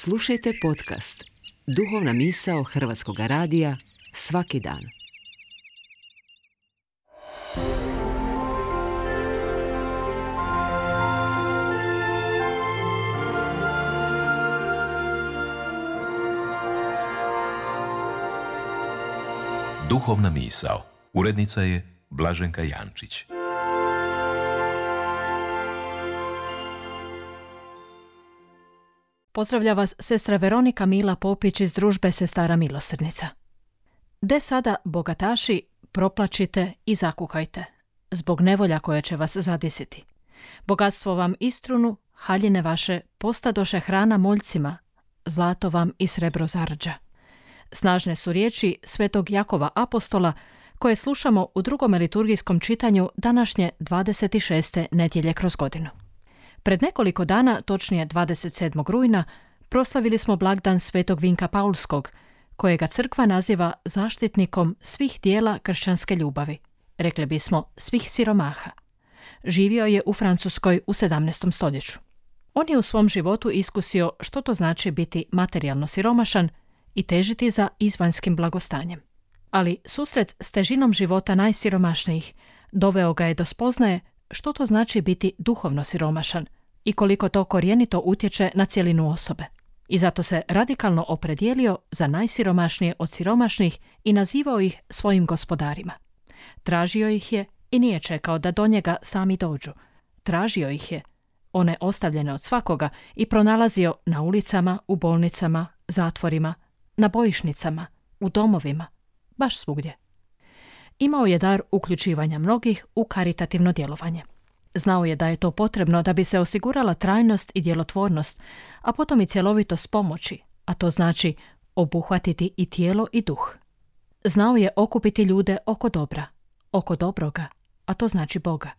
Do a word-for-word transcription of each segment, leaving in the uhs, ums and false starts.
Slušajte podcast Duhovna misao Hrvatskog radija svaki dan. Duhovna misao. Urednica je Blaženka Jančić. Pozdravlja vas sestra Veronika Mila Popić iz družbe Sestara milosrdnica. De sada, bogataši, proplačite i zakuhajte, zbog nevolja koje će vas zadesiti. Bogatstvo vam istrunu, haljine vaše postadoše hrana moljcima, zlato vam i srebro zarđa. Snažne su riječi svetog Jakova apostola koje slušamo u drugom liturgijskom čitanju današnje dvadeset šeste nedjelje kroz godinu. Pred nekoliko dana, točnije dvadeset sedmog rujna, proslavili smo blagdan svetog Vinka Paulskog, kojega crkva naziva zaštitnikom svih dijela kršćanske ljubavi, rekli bismo svih siromaha. Živio je u Francuskoj u sedamnaestom stoljeću. On je u svom životu iskusio što to znači biti materijalno siromašan i težiti za izvanjskim blagostanjem. Ali susret s težinom života najsiromašnijih doveo ga je do spoznaje što to znači biti duhovno siromašan i koliko to korijenito utječe na cjelinu osobe. I zato se radikalno opredijelio za najsiromašnije od siromašnih i nazivao ih svojim gospodarima. Tražio ih je i nije čekao da do njega sami dođu. Tražio ih je, one ostavljene od svakoga, i pronalazio na ulicama, u bolnicama, zatvorima, na bojišnicama, u domovima, baš svugdje. Imao je dar uključivanja mnogih u karitativno djelovanje. Znao je da je to potrebno da bi se osigurala trajnost i djelotvornost, a potom i cjelovitost pomoći, a to znači obuhvatiti i tijelo i duh. Znao je okupiti ljude oko dobra, oko dobroga, a to znači Boga.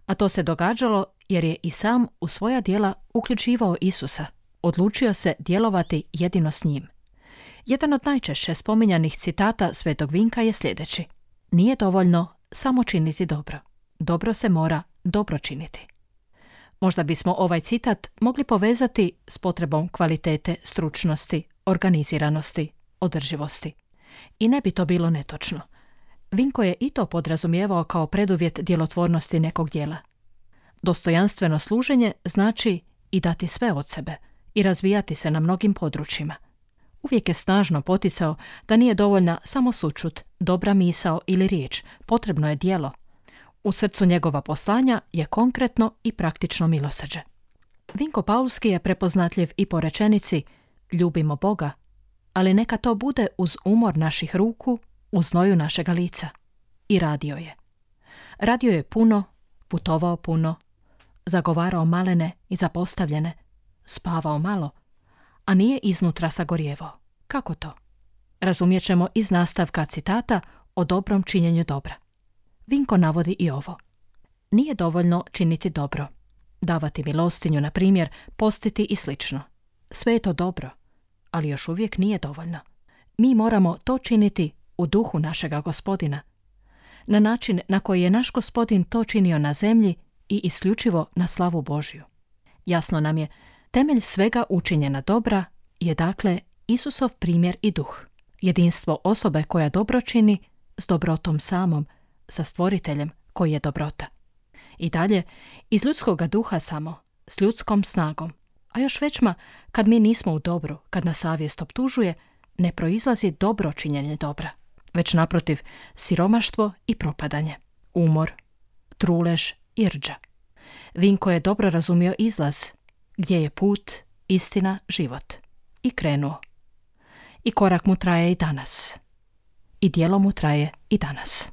A to se događalo jer je i sam u svoja djela uključivao Isusa, odlučio se djelovati jedino s njim. Jedan od najčešće spominjanih citata svetog Vinka je sljedeći: nije dovoljno samo činiti dobro. Dobro se mora dobro činiti. Možda bismo ovaj citat mogli povezati s potrebom kvalitete, stručnosti, organiziranosti, održivosti. I ne bi to bilo netočno. Vinko je i to podrazumijevao kao preduvjet djelotvornosti nekog djela. Dostojanstveno služenje znači i dati sve od sebe i razvijati se na mnogim područjima. Uvijek je snažno poticao da nije dovoljna samo sućut, dobra misao ili riječ, potrebno je djelo. U srcu njegova poslanja je konkretno i praktično milosrđe. Vinko Paulski je prepoznatljiv i po rečenici ljubimo Boga, ali neka to bude uz umor naših ruku, u znoju našega lica. I radio je. Radio je puno, putovao puno, zagovarao malene i zapostavljene, spavao malo, a nije iznutra sagorjevao. Kako to? Razumijet ćemo iz nastavka citata o dobrom činjenju dobra. Vinko navodi i ovo. Nije dovoljno činiti dobro, davati milostinju, na primjer, postiti i slično. Sve je to dobro, ali još uvijek nije dovoljno. Mi moramo to činiti u duhu našega Gospodina, na način na koji je naš Gospodin to činio na zemlji i isključivo na slavu Božju. Jasno nam je, temelj svega učinjena dobra je dakle Isusov primjer i duh, jedinstvo osobe koja dobro čini s dobrotom samom, sa stvoriteljem koji je dobrota. I dalje, iz ljudskoga duha samo, s ljudskom snagom, a još većma kad mi nismo u dobru, kad nas savjest optužuje, ne proizlazi dobro činjenje dobra, već naprotiv siromaštvo i propadanje, umor, trulež i rđa. Vinko je dobro razumio izlaz, gdje je put, istina, život. I krenuo. I korak mu traje i danas. I djelo mu traje i danas.